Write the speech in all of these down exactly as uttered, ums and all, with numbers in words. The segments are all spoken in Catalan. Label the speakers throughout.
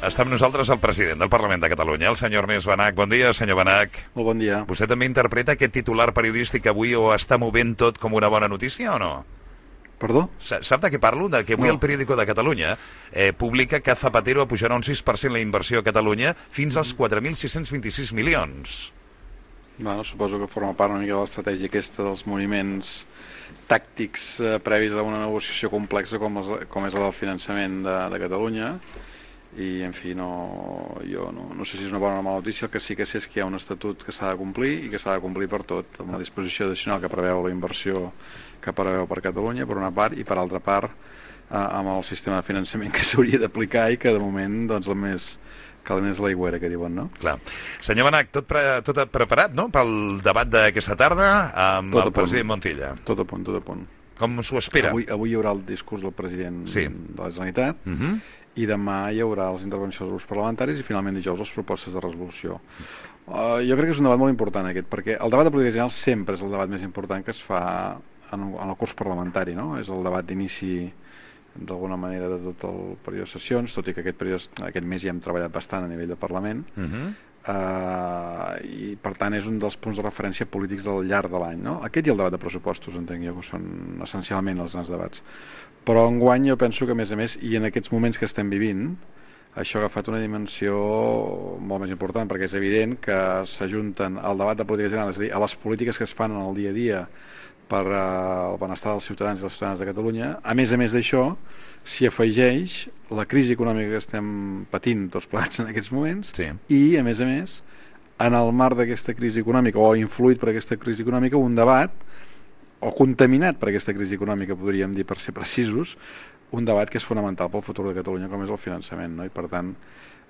Speaker 1: Està amb nosaltres el president del Parlament de Catalunya, el senyor Ernest Benach. Bon dia, senyor Benach.
Speaker 2: Molt bon dia.
Speaker 1: Vostè també interpreta aquest titular periodístic avui o està movent tot com una bona notícia o no?
Speaker 2: Perdó?
Speaker 1: Sap de què parlo? De que avui
Speaker 2: No.
Speaker 1: el periòdico de Catalunya eh, publica que Zapatero apujarà un sis per cent la inversió a Catalunya fins als quatre mil sis-cents vint-i-sis milions.
Speaker 2: Bueno, suposo que forma part una mica de l'estratègia aquesta dels moviments tàctics eh, previs a una negociació complexa com és, com és el del finançament de, de Catalunya. I, en fi, no, jo no, no sé si és una bona o una mala notícia. El que sí que sé és que hi ha un estatut que s'ha de complir i que s'ha de complir per tot, amb la disposició addicional que preveu la inversió que preveu per Catalunya, per una part, i per altra part eh, amb el sistema de finançament que s'hauria d'aplicar i que de moment doncs, el més cal és l'aigüera, que diuen, no?
Speaker 1: Clar. Senyor Benach, tot, pre tot preparat, no?, pel debat d'aquesta tarda amb tot el president Montilla.
Speaker 2: Tot a punt, tot a punt.
Speaker 1: Com s'ho espera?
Speaker 2: Avui, avui hi haurà el discurs del president
Speaker 1: sí.
Speaker 2: de la Generalitat,
Speaker 1: uh -huh.
Speaker 2: i demà hi haurà les intervencions dels grups parlamentaris i finalment dijous les propostes de resolució. Uh, jo crec que és un debat molt important aquest, perquè el debat de política general sempre és el debat més important que es fa en, en el curs parlamentari, no? És el debat d'inici d'alguna manera de tot el període de sessions, tot i que aquest, període, aquest mes ja hem treballat bastant a nivell de Parlament, uh -huh. uh, i per tant és un dels punts de referència polítics del llarg de l'any, no? Aquest i el debat de pressupostos, entenc jo, que són essencialment els grans debats. Però enguany jo penso que a més a més, i en aquests moments que estem vivint, això ha agafat una dimensió molt més important, perquè és evident que s'ajunten al debat de política general, és a dir, a les polítiques que es fan en el dia a dia per uh, el benestar dels ciutadans i les ciutadanes de Catalunya. A més a més d'això, s'hi afegeix la crisi econòmica que estem patint tots plegats en aquests moments,
Speaker 1: sí.
Speaker 2: i a més a més, en el marc d'aquesta crisi econòmica, o influït per aquesta crisi econòmica, un debat o contaminat per aquesta crisi econòmica, podríem dir, per ser precisos, un debat que és fonamental pel futur de Catalunya, com és el finançament, no? I per tant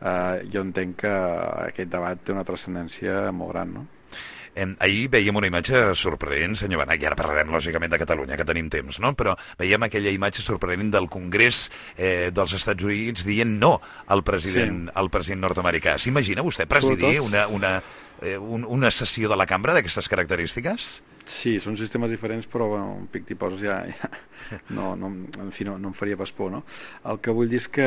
Speaker 2: eh, jo entenc que aquest debat té una transcendència molt gran, no?
Speaker 1: Eh, ahir veiem una imatge sorprenent, senyor Benach, i ara parlarem lògicament de Catalunya, que tenim temps, no? Però veiem aquella imatge sorprenent del Congrés eh, dels Estats Units dient no al president, sí. al president nord-americà. S'imagina vostè presidir una, una, eh, un, una sessió de la cambra d'aquestes característiques?
Speaker 2: Sí, són sistemes diferents, però bueno, un pic tipus ja, ja no, no, en fi, no, no em faria pas por, no? El que vull dir és que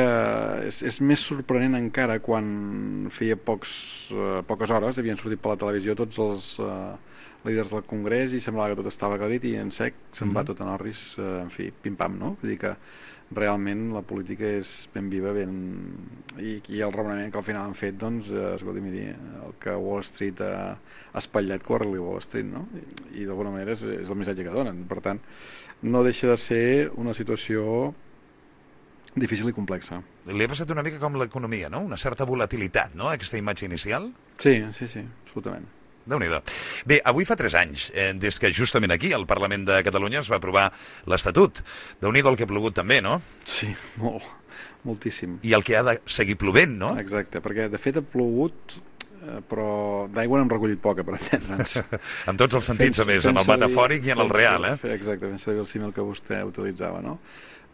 Speaker 2: és, és més sorprenent encara quan feia pocs, eh, poques hores havien sortit per la televisió tots els eh, líders del Congrés i semblava que tot estava aclarit i en sec se'n va tot en orris, eh, en fi, pim-pam, no? Vull dir que realment la política és ben viva, ben... i, i el raonament que al final han fet, doncs, eh, escolti, miri, el que Wall Street ha espatllat, corre-li Wall Street, no? I, i d'alguna manera és, és el missatge que donen. Per tant, no deixa de ser una situació difícil i complexa.
Speaker 1: Li ha passat una mica com l'economia, no? Una certa volatilitat, no?, aquesta imatge inicial?
Speaker 2: Sí, sí, sí, absolutament.
Speaker 1: Déu-n'hi-do. Bé, avui fa tres anys, eh, des que justament aquí, al Parlament de Catalunya, es va aprovar l'Estatut. Déu-n'hi-do el que ha plogut també, no?
Speaker 2: Sí, molt, moltíssim.
Speaker 1: I el que ha de seguir plovent, no?
Speaker 2: Exacte, perquè de fet ha plogut, eh, però d'aigua n'hem recollit poca, per entendre'ns.
Speaker 1: En tots els sentits, a més, en el metafòric i en el real, eh?
Speaker 2: Exacte, fent servir el símil que vostè utilitzava, no?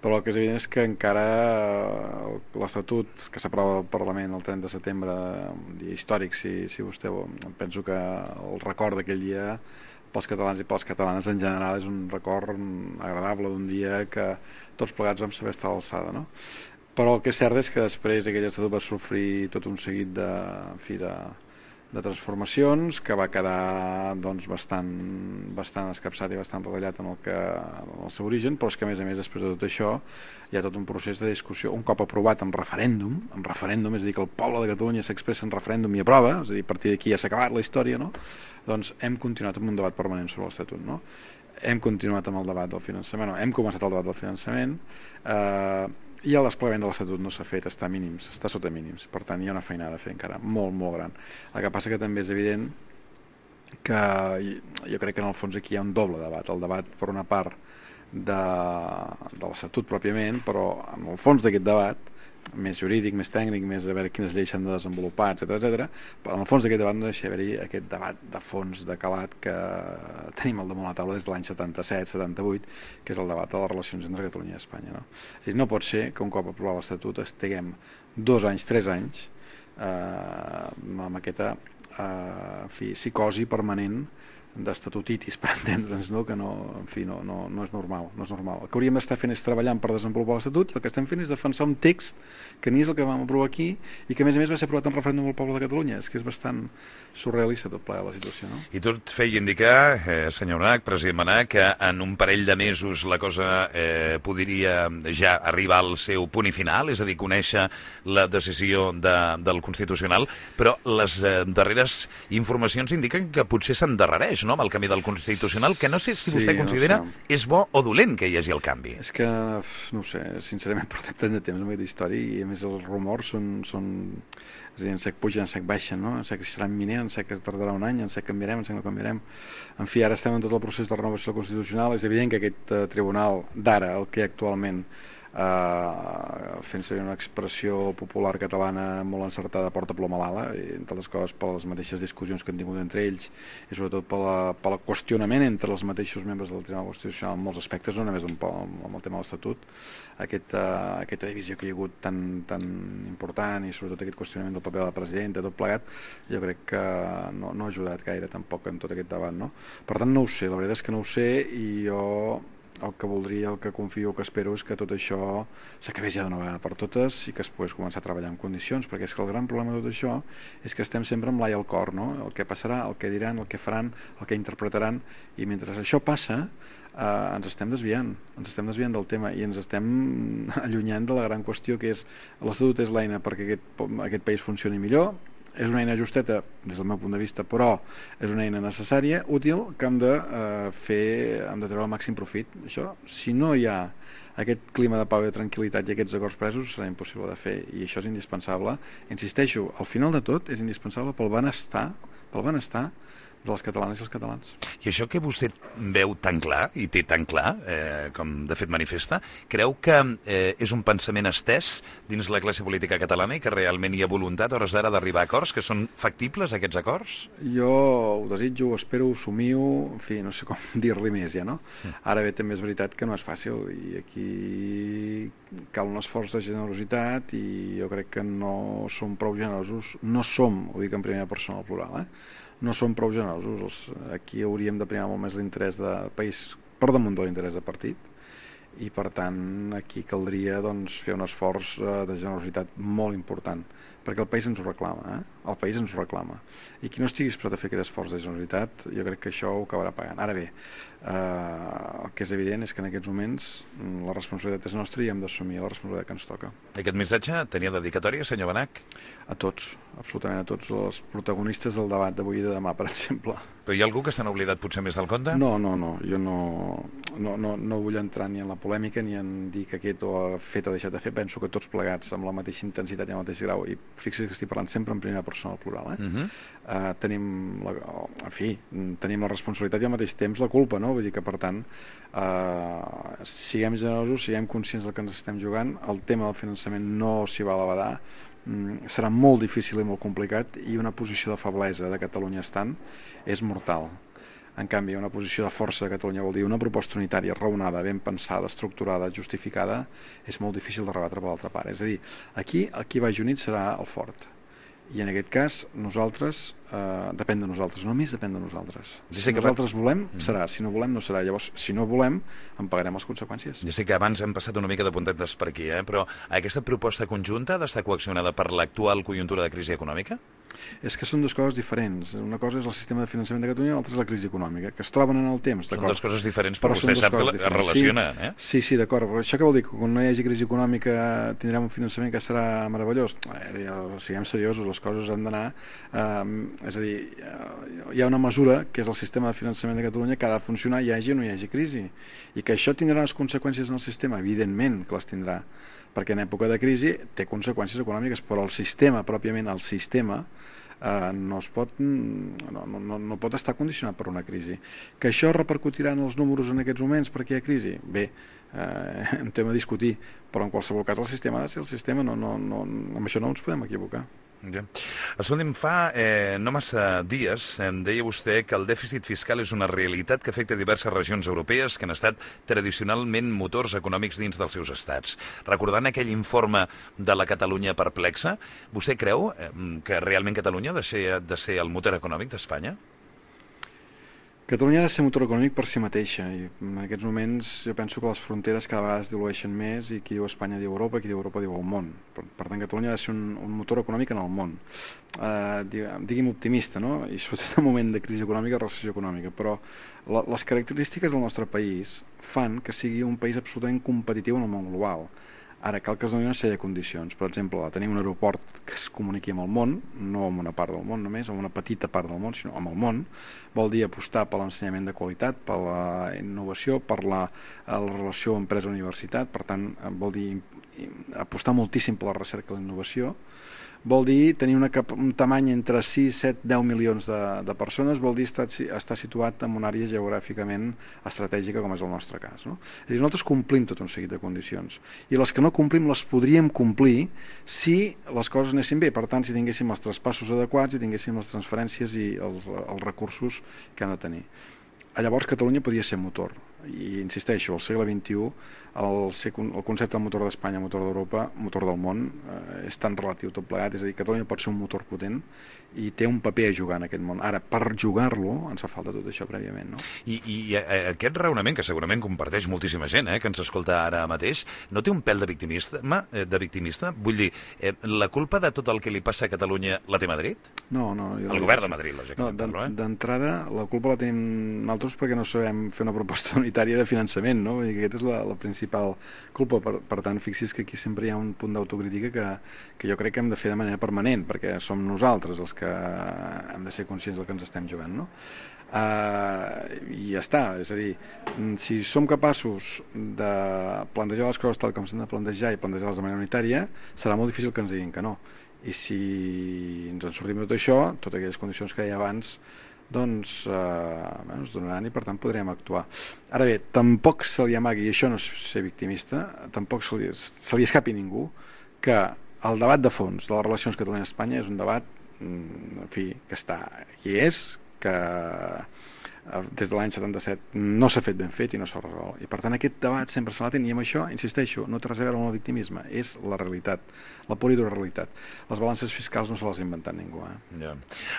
Speaker 2: Però el que és evident és que encara l'Estatut que s'aprova al Parlament el trenta de setembre, un dia històric, si, si vostè vol, penso que el record d'aquell dia pels catalans i pels catalanes en general és un record agradable d'un dia que tots plegats vam saber estar a l'alçada, no? Però el que és cert és que després aquell Estatut va sofrir tot un seguit de, en fi, de, de transformacions que va quedar doncs, bastant, bastant escapçat i bastant retallat en el, que, en el seu origen, però és que a més a més després de tot això hi ha tot un procés de discussió, un cop aprovat en referèndum, en referèndum, és a dir, que el poble de Catalunya s'expressa en referèndum i aprova, és a dir, a partir d'aquí ja s'ha acabat la història, no? Doncs hem continuat amb un debat permanent sobre l'Estatut, no? Hem continuat amb el debat del finançament, no, hem començat el debat del finançament, eh, i el desplegament de l'Estatut no s'ha fet, està a mínims, està sota mínims, per tant hi ha una feinada a fer encara molt, molt gran. El que passa que també és evident que jo crec que en el fons aquí hi ha un doble debat, el debat per una part de, de l'Estatut pròpiament, però en el fons d'aquest debat més jurídic, més tècnic, més a veure quines lleis s'han de desenvolupar, etcètera, etcètera. Però en el fons d'aquest debat no deixa haver-hi aquest debat de fons, de calat, que tenim al damunt la taula des de l'any setanta-set setanta-vuit, que és el debat de les relacions entre Catalunya i Espanya, no? És a dir, no pot ser que un cop aprovat l'Estatut estiguem dos anys, tres anys eh, amb aquesta eh, en fi, psicosi permanent d'estatutitis, per entendre'ns, no? Que no, en fi, no, no, no és normal, no és normal. El que hauríem d'estar fent és treballant per desenvolupar l'Estatut, el que estem fent és defensar un text que ni és el que vam aprovar aquí i que a més a més va ser aprovat en referèndum al poble de Catalunya. És que és bastant surrealista tot plegat la situació, no?
Speaker 1: I tot feia indicar, eh, senyor Benach, president Benach, que en un parell de mesos la cosa eh, podria ja arribar al seu punt i final, és a dir, conèixer la decisió de, del Constitucional, però les eh, darreres informacions indiquen que potser s'endarrereix, no?, amb el canvi del Constitucional, que no sé si vostè
Speaker 2: Sí,
Speaker 1: considera
Speaker 2: no sé.
Speaker 1: és bo o dolent que hi hagi el canvi.
Speaker 2: És que, no ho sé, sincerament portem tant de temps amb aquesta història i a més els rumors són, són és a dir, en sec pugen, en sec baixen, no? En sec serà imminent, en sec que tardarà un any, en sec canviarem, en sec no canviarem. En fi, ara estem en tot el procés de renovació constitucional. És evident que aquest uh, tribunal d'ara, el que actualment, Uh, fent servir una expressió popular catalana molt encertada, porta ploma a l'ala, entre altres coses per les mateixes discussions que han tingut entre ells i sobretot pel qüestionament entre els mateixos membres del Tribunal Constitucional en molts aspectes, no només amb, amb el tema de l'Estatut, aquest, uh, aquesta divisió que hi ha hagut tan, tan important i sobretot aquest qüestionament del paper de la presidenta, tot plegat, jo crec que no, no ha ajudat gaire tampoc en tot aquest debat, no? Per tant, no ho sé, la veritat és que no ho sé i jo el que voldria, el que confio, el que espero és que tot això s'acabés ja d'una vegada per totes i que es pogués començar a treballar en condicions, perquè és que el gran problema de tot això és que estem sempre amb l'ai al cor, no? El que passarà, el que diran, el que faran, el que interpretaran, i mentre això passa eh, ens estem desviant, ens estem desviant del tema i ens estem allunyant de la gran qüestió que és l'Estatut és l'eina perquè aquest, aquest país funcioni millor. És una eina justeta des del meu punt de vista, però és una eina necessària, útil, que hem de eh, fer, hem de treure el màxim profit. Això, si no hi ha aquest clima de pau i de tranquil·litat i aquests acords presos, serà impossible de fer, i això és indispensable. Insisteixo, al final de tot és indispensable pel benestar, pel benestar de les catalanes i els catalans.
Speaker 1: I això que vostè veu tan clar, i té tan clar, eh, com de fet manifesta, creu que eh, és un pensament estès dins la classe política catalana i que realment hi ha voluntat, a hores d'ara, d'arribar a acords, que són factibles, aquests acords?
Speaker 2: Jo ho desitjo, ho espero, ho somio, en fi, no sé com dir-li més ja, no? Sí. Ara bé, també és veritat que no és fàcil i aquí cal un esforç de generositat i jo crec que no som prou generosos, no som, ho dic en primera persona al plural, eh? No som prou generosos. Aquí hauríem de primar molt més l'interès del país per damunt de l'interès de partit i per tant aquí caldria doncs, fer un esforç de generositat molt important perquè el país ens ho reclama, eh? El país ens ho reclama i qui no estigui disposat a fer aquest esforç de generositat jo crec que això ho acabarà pagant. Ara bé, eh, el que és evident és que en aquests moments la responsabilitat és nostra i hem d'assumir la responsabilitat que ens toca.
Speaker 1: Aquest missatge tenia dedicatòria, senyor Benach?
Speaker 2: A tots, absolutament a tots els protagonistes del debat d'avui i de demà, per exemple.
Speaker 1: Però hi ha algú que s'han oblidat potser més del compte?
Speaker 2: No, no, no, jo no, no, no, no vull entrar ni en la polèmica ni en dir que aquest ho ha fet o ha deixat de fer. Penso que tots plegats amb la mateixa intensitat i amb el mateix grau, i fixi que estic parlant sempre en primera persona al plural, eh? Uh-huh. uh, tenim la, en fi, tenim la responsabilitat i al mateix temps la culpa, no? Vull dir que per tant uh, siguem generosos, siguem conscients del que ens estem jugant, el tema del finançament no s'hi va a l'abadar, mm, serà molt difícil i molt complicat i una posició de feblesa de Catalunya estant és mortal. En canvi, una posició de força de Catalunya vol dir una proposta unitària raonada, ben pensada, estructurada, justificada, és molt difícil de rebatre per l'altra part. És a dir, aquí el qui vagi unit serà el fort. I en aquest cas, nosaltres, eh, depèn de nosaltres, només depèn de nosaltres. Si sí, nosaltres volem, serà. Si no volem, no serà. Llavors, si no volem, en pagarem les conseqüències.
Speaker 1: Ja sé que abans hem passat una mica de puntetes per aquí, eh? Però aquesta proposta conjunta ha d'estar coaccionada per l'actual conjuntura de crisi econòmica?
Speaker 2: És que són dues coses diferents. Una cosa és el sistema de finançament de Catalunya i l'altra és la crisi econòmica, que es troben en el temps.
Speaker 1: Són dues coses diferents, però, però vostè sap que es relacionen.
Speaker 2: Sí,
Speaker 1: eh?
Speaker 2: sí, sí, d'acord. Però això què vol dir? Que quan no hi hagi crisi econòmica tindrem un finançament que serà meravellós? Eh, ja, siguem seriosos, les coses han d'anar... Eh, és a dir, hi ha una mesura, que és el sistema de finançament de Catalunya, que ha de funcionar hi hagi o no hi hagi crisi. I que això tindrà les conseqüències en el sistema? Evidentment que les tindrà, perquè en època de crisi té conseqüències econòmiques, però el sistema, pròpiament el sistema, eh, no, es pot, no, no, no pot estar condicionat per una crisi. Que això repercutirà en els números en aquests moments perquè hi ha crisi? Bé, eh, un tema a discutir, però en qualsevol cas el sistema ha de ser el sistema, no, no, no, amb això no ens podem equivocar.
Speaker 1: Ja. Escolti'm, fa eh, no massa dies em deia vostè que el dèficit fiscal és una realitat que afecta diverses regions europees que han estat tradicionalment motors econòmics dins dels seus estats. Recordant aquell informe de la Catalunya perplexa, vostè creu eh, que realment Catalunya ha de ser, de ser el motor econòmic d'Espanya?
Speaker 2: Catalunya ha de ser motor econòmic per si mateixa i en aquests moments jo penso que les fronteres cada vegada es dilueixen més i qui diu Espanya diu Europa, qui diu Europa diu el món. Per, per tant, Catalunya ha de ser un, un motor econòmic en el món. Uh, digui'm optimista, no? I sobretot en un moment de crisi econòmica, recessió econòmica, però la, les característiques del nostre país fan que sigui un país absolutament competitiu en el món global. Ara cal que es donin una sèrie de condicions. Per exemple, tenir un aeroport que es comuniqui amb el món, no amb una part del món només, amb una petita part del món, sinó amb el món, vol dir apostar per l'ensenyament de qualitat, per la innovació, per la, la relació empresa-universitat, per tant, vol dir apostar moltíssim per la recerca i la innovació, vol dir tenir una cap, un tamany entre sis, set, deu milions de, de persones, vol dir estar, estar situat en una àrea geogràficament estratègica com és el nostre cas, no? És a dir, nosaltres complim tot un seguit de condicions i les que no complim les podríem complir si les coses anessin bé, per tant si tinguéssim els traspassos adequats i tinguéssim les transferències i els, els recursos que han de tenir. Llavors Catalunya podria ser motor i insisteixo, al segle vint-i-u el, el concepte de motor d'Espanya, motor d'Europa, motor del món eh, és tan relatiu tot plegat, és a dir, Catalunya pot ser un motor potent i té un paper a jugar en aquest món. Ara, per jugar-lo ens fa falta tot això prèviament, no?
Speaker 1: I, i aquest raonament, que segurament comparteix moltíssima gent, eh, que ens escolta ara mateix, no té un pèl de victimista? De victimista? Vull dir, eh, la culpa de tot el que li passa a Catalunya la té Madrid?
Speaker 2: No, no.
Speaker 1: El govern de Madrid, lògicament.
Speaker 2: No, parlo, eh? D'entrada, la culpa la tenim nosaltres perquè no sabem fer una proposta unitària de finançament, no? Vull dir que aquesta és la, la principal culpa. Per, per tant, fixi's que aquí sempre hi ha un punt d'autocrítica que, que jo crec que hem de fer de manera permanent, perquè som nosaltres els que hem de ser conscients del que ens estem jugant, no? Uh, i ja està, és a dir, si som capaços de plantejar les coses tal com s'han de plantejar i plantejar-les de manera unitària, serà molt difícil que ens diguin que no. I si ens en sortim de tot això, totes aquelles condicions que deia abans, doncs eh, bueno, es donaran i per tant podrem actuar. Ara bé, tampoc se li amagui, i això no és ser victimista, tampoc se li, se li escapi ningú que el debat de fons de les relacions Catalunya-Espanya és un debat, en fi, que està aquí és, que des de l'any setanta-set no s'ha fet ben fet i no s'ha resolt. I per tant aquest debat sempre se l'atén i amb això, insisteixo, no té res a veure amb el victimisme, és la realitat, la pura i dura realitat. Les balances fiscals no se les ha inventat ningú. Eh?
Speaker 1: Ja.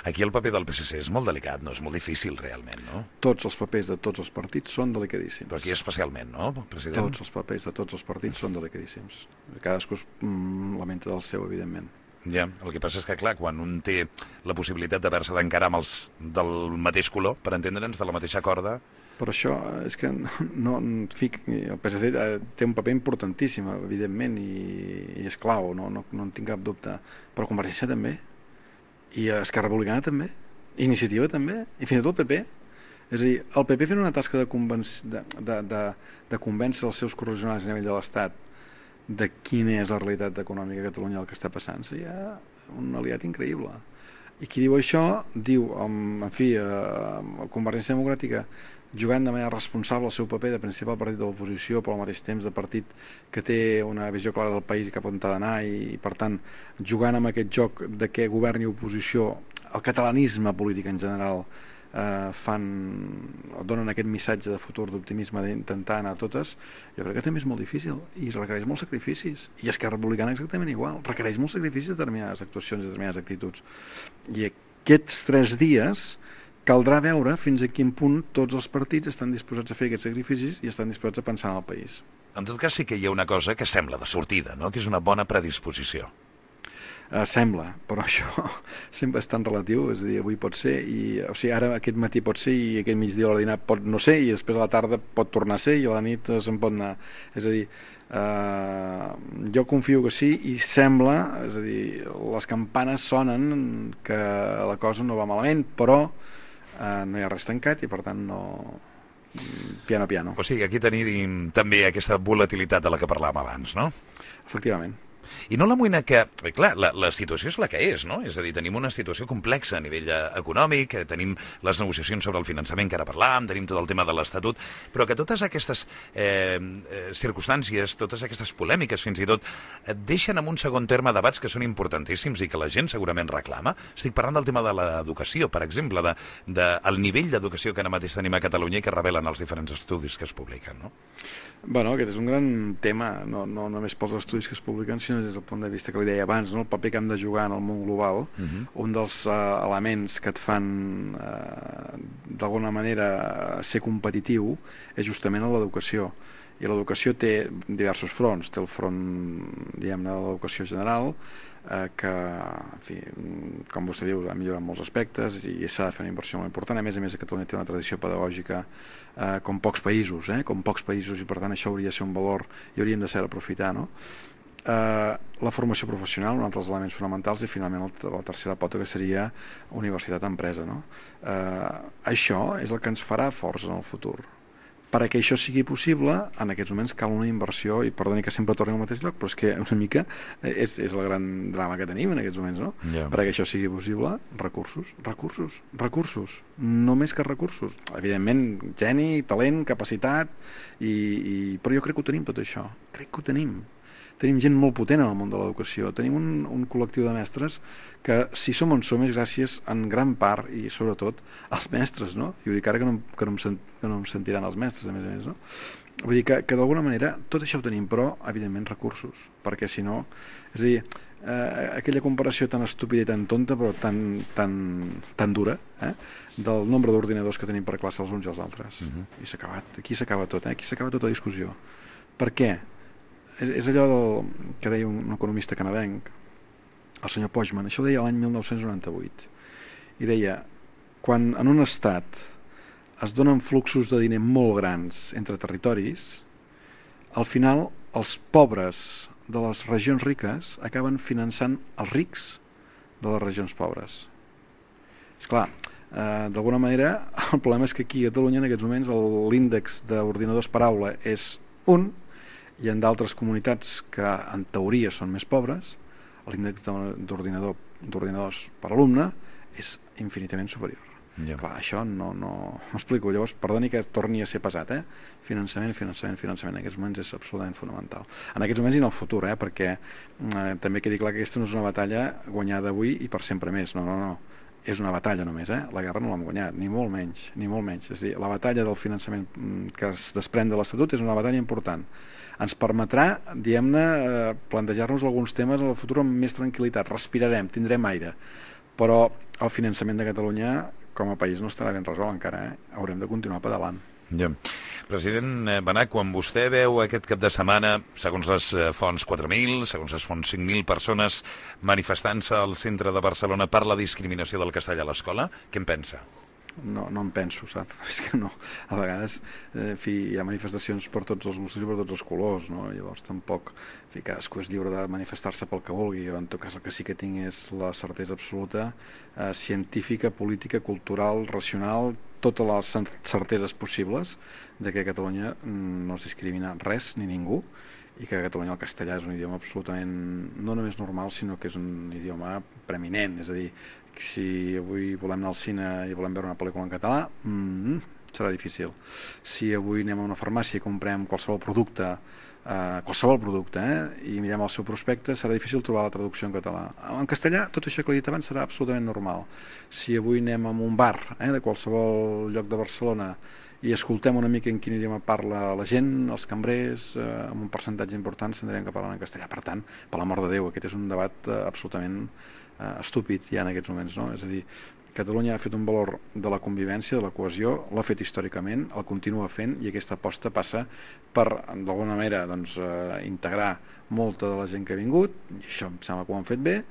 Speaker 1: Aquí el paper del P S C és molt delicat, no? És molt difícil realment, no?
Speaker 2: Tots els papers de tots els partits són delicadíssims.
Speaker 1: Però aquí especialment, no, president?
Speaker 2: Tots els papers de tots els partits són delicadíssims. Cadascú es mm, lamenta del seu, evidentment.
Speaker 1: Ja, el que passa és que, clar, quan un té la possibilitat d'haver-se d'encarar amb els del mateix color, per entendre'ns, de la mateixa corda...
Speaker 2: Però això és que no, en fi, el P S C té un paper importantíssim, evidentment, i, i és clau, no, no, no en tinc cap dubte. Però Convergència també, i Esquerra Republicana també, i Iniciativa també, i fins i tot el P P. És a dir, el P P fent una tasca de, de, de, de, de convèncer els seus correligionaris a nivell de l'Estat de quina és la realitat econòmica a Catalunya, el que està passant, seria un aliat increïble. I qui diu això, diu, en fi, eh, Convergència Democràtica, jugant de manera responsable el seu paper de principal partit de l'oposició, però al mateix temps de partit que té una visió clara del país i cap on ha d'anar, i per tant, jugant amb aquest joc de què governi oposició, el catalanisme polític en general, eh, fan, donen aquest missatge de futur, d'optimisme, d'intentar anar a totes, jo crec que també és molt difícil i requereix molts sacrificis, i Esquerra Republicana exactament igual, requereix molts sacrificis de determinades actuacions, de determinades actituds, i aquests tres dies caldrà veure fins a quin punt tots els partits estan disposats a fer aquests sacrificis i estan disposats a pensar en el país.
Speaker 1: En tot cas sí que hi ha una cosa que sembla de sortida, no? Que és una bona predisposició.
Speaker 2: Uh, sembla, però això sempre és tan relatiu, és a dir, avui pot ser i, o sigui, ara aquest matí pot ser i aquest migdia a la dinar pot no ser i després a la tarda pot tornar a ser i a la nit se'n pot anar, és a dir uh, jo confio que sí i sembla, és a dir, les campanes sonen que la cosa no va malament, però uh, no hi ha res tancat i per tant no... piano piano.
Speaker 1: O sigui, aquí tenim també aquesta volatilitat de la que parlàvem abans, no?
Speaker 2: Efectivament.
Speaker 1: I no l'amoïna que, clar, la, la situació és la que és, no? És a dir, tenim una situació complexa a nivell econòmic, tenim les negociacions sobre el finançament que ara parlàvem, tenim tot el tema de l'Estatut, però que totes aquestes eh, circumstàncies, totes aquestes polèmiques fins i tot, et deixen en un segon terme debats que són importantíssims i que la gent segurament reclama. Estic parlant del tema de l'educació, per exemple, de, de, el nivell d'educació que ara mateix tenim a Catalunya i que revelen els diferents estudis que es publiquen, no?
Speaker 2: Bueno, aquest és un gran tema, no, no només pels estudis que es publiquen, sinó sinó des del punt de vista que li deia abans, no? El paper que hem de jugar en el món global, uh-huh. un dels uh, elements que et fan uh, d'alguna manera ser competitiu és justament l'educació. I l'educació té diversos fronts. Té el front, diguem-ne, de l'educació general, eh, que, en fi, com vostè diu, ha millorat molts aspectes i s'ha de fer una inversió molt important. A més a més, Catalunya té una tradició pedagògica eh, com pocs països, eh, com pocs països, i per tant això hauria de ser un valor i hauríem de saber aprofitar, no? Eh, la formació professional, un altre dels elements fonamentals, i finalment la tercera pota, que seria universitat-empresa, no? Eh, això és el que ens farà forts en el futur. Perquè això sigui possible, en aquests moments cal una inversió, i perdoni que sempre torni al mateix lloc, però és que una mica és, és el gran drama que tenim en aquests moments, no? Yeah. Perquè això sigui possible, recursos, recursos, recursos, no més que recursos. Evidentment, geni, talent, capacitat, i, i... però jo crec que ho tenim tot això, crec que ho tenim. Tenim gent molt potent en el món de l'educació, tenim un, un col·lectiu de mestres que, si som on som, és gràcies en gran part, i sobretot, als mestres, no? Jo dic ara que no, que no, em, sent, que no em sentiran els mestres, a més a més, no? Vull dir que, que d'alguna manera tot això ho tenim, però, evidentment, recursos, perquè si no, és a dir, eh, aquella comparació tan estúpida i tan tonta, però tan, tan, tan dura, eh? Del nombre d'ordinadors que tenim per classe els uns i els altres. Uh-huh. I s'ha acabat, aquí s'acaba tot, eh? Aquí s'acaba tota discussió. Per què? És, és allò del, que deia un, un economista canadenc, el senyor Pojman, això ho deia l'any mil nou-cents noranta-vuit, i deia, quan en un estat es donen fluxos de diner molt grans entre territoris, al final els pobres de les regions riques acaben finançant els rics de les regions pobres. Esclar, eh, d'alguna manera el problema és que aquí a Catalunya en aquests moments l'índex d'ordinadors per aula és un, i en d'altres comunitats que en teoria són més pobres, l'índex d'ordinador, d'ordinadors per alumne és infinitament superior. Yeah. Clar, això no, no... m'explico, llavors, perdoni que torni a ser pesat, eh? Finançament, finançament, finançament, en aquests moments és absolutament fonamental. En aquests moments i en el futur, eh? Perquè eh, també quedi clar que aquesta no és una batalla guanyada avui i per sempre més, no, no, no. És una batalla només, eh? La guerra no l'hem guanyat, ni molt menys, ni molt menys. És a dir, la batalla del finançament que es desprèn de l'Estatut és una batalla important. Ens permetrà, diguem-ne, plantejar-nos alguns temes en el futur amb més tranquil·litat, respirarem, tindrem aire, però el finançament de Catalunya com a país no estarà ben resolt encara, eh? Haurem de continuar pedalant.
Speaker 1: Ja. President Benach, quan vostè veu aquest cap de setmana, segons les fonts quatre mil, segons les fonts cinc mil persones manifestant-se al centre de Barcelona per la discriminació del castellà a l'escola, què en pensa?
Speaker 2: No, no em penso, sap? És que no, a vegades eh, en fi, hi ha manifestacions per tots els gustos i per tots els colors, no? Llavors tampoc, en fi, cadascú és lliure de manifestar-se pel que vulgui. Jo en tot cas el que sí que tinc és la certesa absoluta, eh, científica, política, cultural, racional, totes les certeses possibles de que a Catalunya no es discrimina res ni ningú, i que a Catalunya el castellà és un idioma absolutament no només normal, sinó que és un idioma preeminent. És a dir, si avui volem anar al cine i volem veure una pel·lícula en català, mm, serà difícil. Si avui anem a una farmàcia i comprem qualsevol producte, eh, qualsevol producte, eh, i mirem el seu prospecte, serà difícil trobar la traducció en català. En castellà, tot això que he dit abans serà absolutament normal. Si avui anem a un bar, eh, de qualsevol lloc de Barcelona, i escoltem una mica en quin idioma parla la gent, els cambrers, eh, amb un percentatge important s'anirem que parlen en castellà. Per tant, per l'amor de Déu, aquest és un debat eh, absolutament eh, estúpid ja en aquests moments, no? És a dir, Catalunya ha fet un valor de la convivència, de la cohesió, l'ha fet històricament, el continua fent, i aquesta aposta passa per, d'alguna manera, doncs, eh, integrar molta de la gent que ha vingut, i això em sembla que ho han fet bé,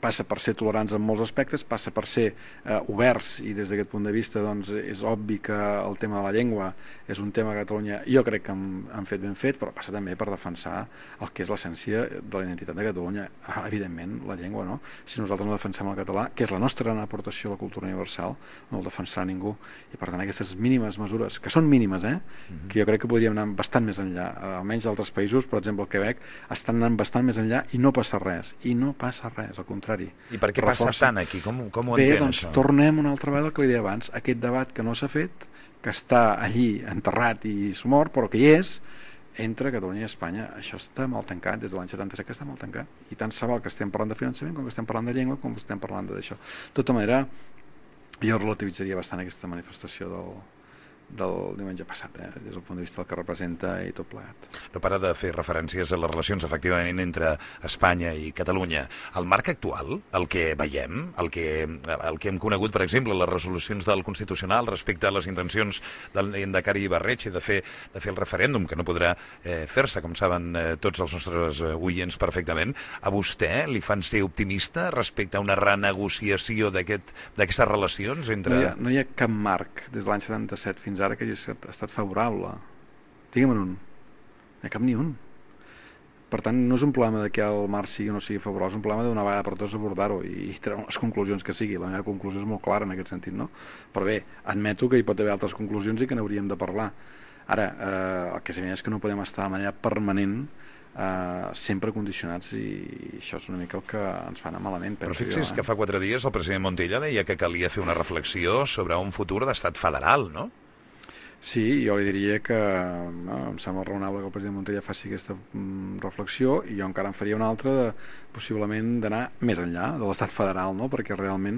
Speaker 2: passa per ser tolerants en molts aspectes, passa per ser eh, oberts, i des d'aquest punt de vista doncs, és obvi que el tema de la llengua és un tema que a Catalunya jo crec que han, han fet ben fet, però passa també per defensar el que és l'essència de la identitat de Catalunya. Ah, evidentment, la llengua, no? Si nosaltres no defensem el català, que és la nostra gran aportació a la cultura universal, no el defensarà ningú, i per tant aquestes mínimes mesures, que són mínimes, eh? Mm-hmm. Que jo crec que podríem anar bastant més enllà, almenys d'altres països, per exemple el Quebec, estan anant bastant més enllà i no passa res, i no passa res, al contrari.
Speaker 1: I per què passa tant aquí? Com, com ho
Speaker 2: Bé,
Speaker 1: entén,
Speaker 2: doncs,
Speaker 1: això?
Speaker 2: Tornem una altra vegada al que li deia abans, aquest debat que no s'ha fet, que està allí enterrat i mort, però que hi és, entre Catalunya i Espanya. Això està molt tancat, des de l'any setanta-set que està molt tancat, i tant se val que estem parlant de finançament com que estem parlant de llengua com que estem parlant d'això. De tota manera, jo relativitzaria bastant aquesta manifestació del, del diumenge passat, eh? Des del punt de vista del que representa i tot plegat.
Speaker 1: No para de fer referències a les relacions, efectivament, entre Espanya i Catalunya. El marc actual, el que veiem, el que, el que hem conegut, per exemple, les resolucions del Constitucional respecte a les intencions del Endacari Ibarretxe de fer, de fer el referèndum, que no podrà eh, fer-se, com saben eh, tots els nostres eh, oients perfectament, a vostè li fan ser optimista respecte a una renegociació d'aquestes aquest, relacions entre...
Speaker 2: No hi, ha, no hi ha cap marc des de l'any setanta-set fins ara que hagi estat favorable. Digue'm un. No hi ha cap ni un. Per tant, no és un problema de que el marc sigui o no sigui favorable, és un problema d'una vegada per tots abordar-ho i treure les conclusions que sigui. La meva conclusió és molt clara en aquest sentit, no? Però bé, admeto que hi pot haver altres conclusions i que n'hauríem de parlar. Ara, eh, el que és evident és que no podem estar de manera permanent eh, sempre condicionats i això és una mica el que ens fa anar malament.
Speaker 1: Però fixi's
Speaker 2: jo, eh?
Speaker 1: que fa quatre dies el president Montilla deia que calia fer una reflexió sobre un futur d'estat federal, no?
Speaker 2: Sí, jo li diria que no, em sembla raonable que el president Montilla faci aquesta mm, reflexió i jo encara en faria una altra de, possiblement d'anar més enllà de l'estat federal, no? Perquè realment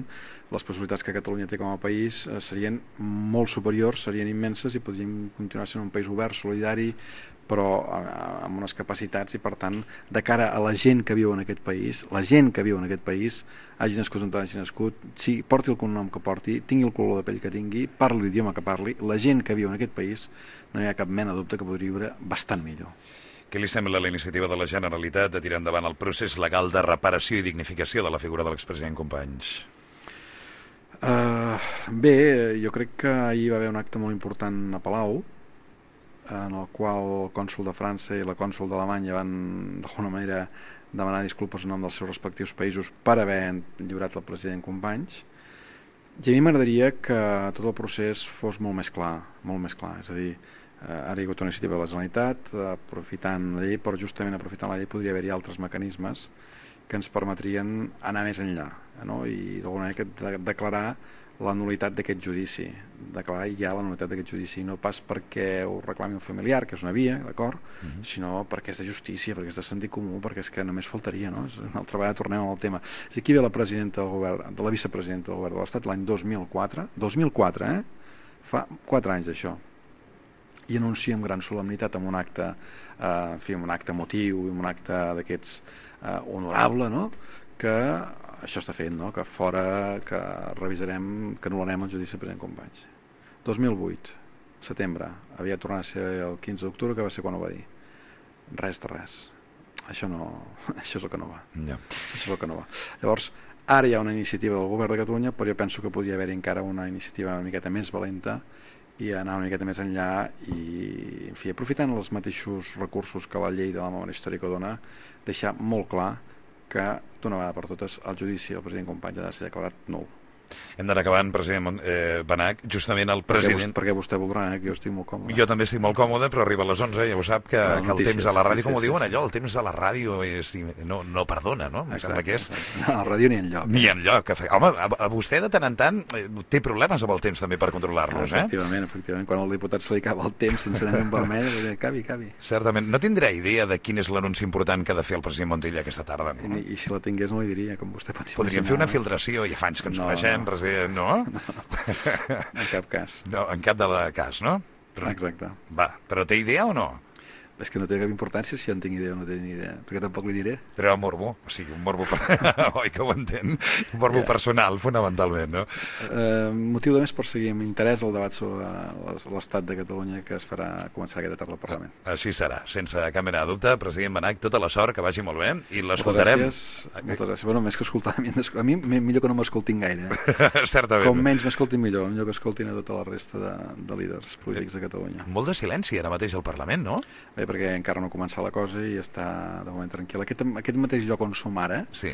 Speaker 2: les possibilitats que Catalunya té com a país eh, serien molt superiors, serien immenses i podríem continuar sent un país obert, solidari, però eh, amb unes capacitats i per tant de cara a la gent que viu en aquest país, la gent que viu en aquest país, hagi nascut on hagi nascut, si porti el cognom que porti, tingui el color de pell que tingui, parli l'idioma que parli, la gent que viu en aquest país no hi ha cap mena de dubte que podria viure bastant millor.
Speaker 1: Què li sembla la iniciativa de la Generalitat de tirar endavant el procés legal de reparació i dignificació de la figura de l'expresident Companys?
Speaker 2: Uh, bé, jo crec que ahir va haver un acte molt important a Palau, en el qual el cònsol de França i la cònsol d'Alemanya van d'alguna manera demanar disculpes en nom dels seus respectius països per haver lliurat el president Companys, i a mi m'agradaria que tot el procés fos molt més clar, molt més clar, és a dir, ara hi ha hagut una iniciativa de la Generalitat aprofitant la llei, però justament aprofitant la llei podria haver-hi altres mecanismes que ens permetrien anar més enllà, no? I d'alguna manera declarar la nulitat d'aquest judici, declarar ja la nulitat d'aquest judici, no pas perquè ho reclami un familiar, que és una via, d'acord, uh-huh. sinó perquè és de justícia, perquè és de sentit comú, perquè és que només faltaria, no? Una altra vegada tornem al tema. És aquí ve la presidenta del govern, de la vicepresidenta del govern de l'Estat l'any dos mil quatre, dos mil quatre, eh? Fa quatre anys d'això, i anuncia amb gran solemnitat amb un acte, eh, en fi, un acte emotiu i un acte d'aquests eh, honorable, no? Que això està fent, no? Que fora, que revisarem, que anul·larem el judici del president Companys. dos mil vuit, setembre, havia tornat a ser el quinze d'octubre, que va ser quan ho va dir. Res de res. Això no, això és el que no va.
Speaker 1: No.
Speaker 2: Això és el que no va. Llavors, ara hi ha una iniciativa del govern de Catalunya, però jo penso que podria haver-hi encara una iniciativa una miqueta més valenta i anar una miqueta més enllà i, en fi, aprofitant els mateixos recursos que la llei de la memòria històrica dona, deixar molt clar que d'una vegada per totes el judici del president Companys ha de ser declarat nul.
Speaker 1: Hem d'anar acabant, president eh, Benach. Justament el president...
Speaker 2: Perquè vostè voldrà, eh, que jo estic molt còmode.
Speaker 1: Jo també estic molt còmode, però arriba a les onze, ja ho sap, que,
Speaker 2: no,
Speaker 1: que el temps a la ràdio,
Speaker 2: sí,
Speaker 1: com
Speaker 2: sí,
Speaker 1: ho diuen
Speaker 2: sí,
Speaker 1: allò, el temps a la ràdio és, no, no perdona, no? Em sembla que és...
Speaker 2: No, a la ràdio ni enlloc.
Speaker 1: Ni enlloc. Home, a, a vostè de tant en tant té problemes amb el temps també per controlar-los, eh?
Speaker 2: Efectivament, efectivament. Quan al diputat se li acaba el temps sense anar en vermell, cabi, cabi.
Speaker 1: Certament. No tindrà idea de quin és l'anunci important que ha de fer el president Montilla aquesta tarda, no?
Speaker 2: I, i si la tingués no li diria, com vostè pot imaginar.
Speaker 1: Podríem fer una filtració, ja fa anys que ens
Speaker 2: no,
Speaker 1: coneixem,
Speaker 2: no.
Speaker 1: president, no?
Speaker 2: No, en cap cas.
Speaker 1: No, en cap de la cas, no?
Speaker 2: Però, Exacte.
Speaker 1: Va, però té idea o no?
Speaker 2: És que no té cap importància si jo en tinc idea o no té ni idea, perquè tampoc li diré.
Speaker 1: Però el morbo, o sigui, un morbo... Per... Oi que ho entén? Un morbo yeah. personal, fonamentalment, no?
Speaker 2: Eh, motiu de més per seguir amb interès el debat sobre l'estat de Catalunya que es farà començar aquesta tarda al Parlament.
Speaker 1: Així serà, sense cap mena de dubte. President Benach, tota la sort, que vagi molt bé, i l'escoltarem.
Speaker 2: Moltes gràcies. Moltes gràcies. Bueno, més que escoltar, a mi millor que no m'escoltin gaire. Eh?
Speaker 1: Certament.
Speaker 2: Com menys m'escoltin millor, millor que escoltin a tota la resta de, de líders polítics de Catalunya.
Speaker 1: Molt de silenci ara mateix al Parlament, no?
Speaker 2: Bé, perquè encara no ha començat la cosa i està de moment tranquil. Aquest, aquest mateix lloc on som ara,
Speaker 1: sí.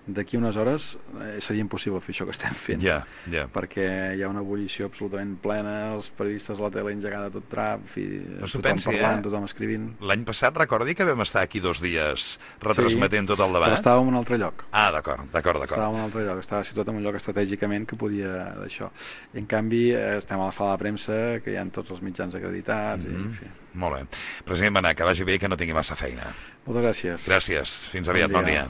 Speaker 2: d'aquí unes hores eh, seria impossible fer això que estem fent,
Speaker 1: yeah, yeah.
Speaker 2: perquè hi ha una ebullició absolutament plena, els periodistes a la tele engegada tot drap, fi,
Speaker 1: no
Speaker 2: tothom
Speaker 1: pensi,
Speaker 2: parlant,
Speaker 1: eh?
Speaker 2: tothom escrivint.
Speaker 1: L'any passat recordi que vam estar aquí dos dies retransmetent
Speaker 2: sí,
Speaker 1: tot el debat?
Speaker 2: Però estàvem en un altre lloc.
Speaker 1: Ah, d'acord, d'acord, d'acord.
Speaker 2: Estàvem en un altre lloc, estava situat en un lloc estratègicament que podia d'això. I en canvi estem a la sala de premsa, que hi ha tots els mitjans acreditats, mm-hmm. i en fi.
Speaker 1: Molt bé. President Benach, que vagi bé i que no tingui massa feina.
Speaker 2: Moltes gràcies.
Speaker 1: Gràcies. Fins aviat. Bon dia. Bon dia.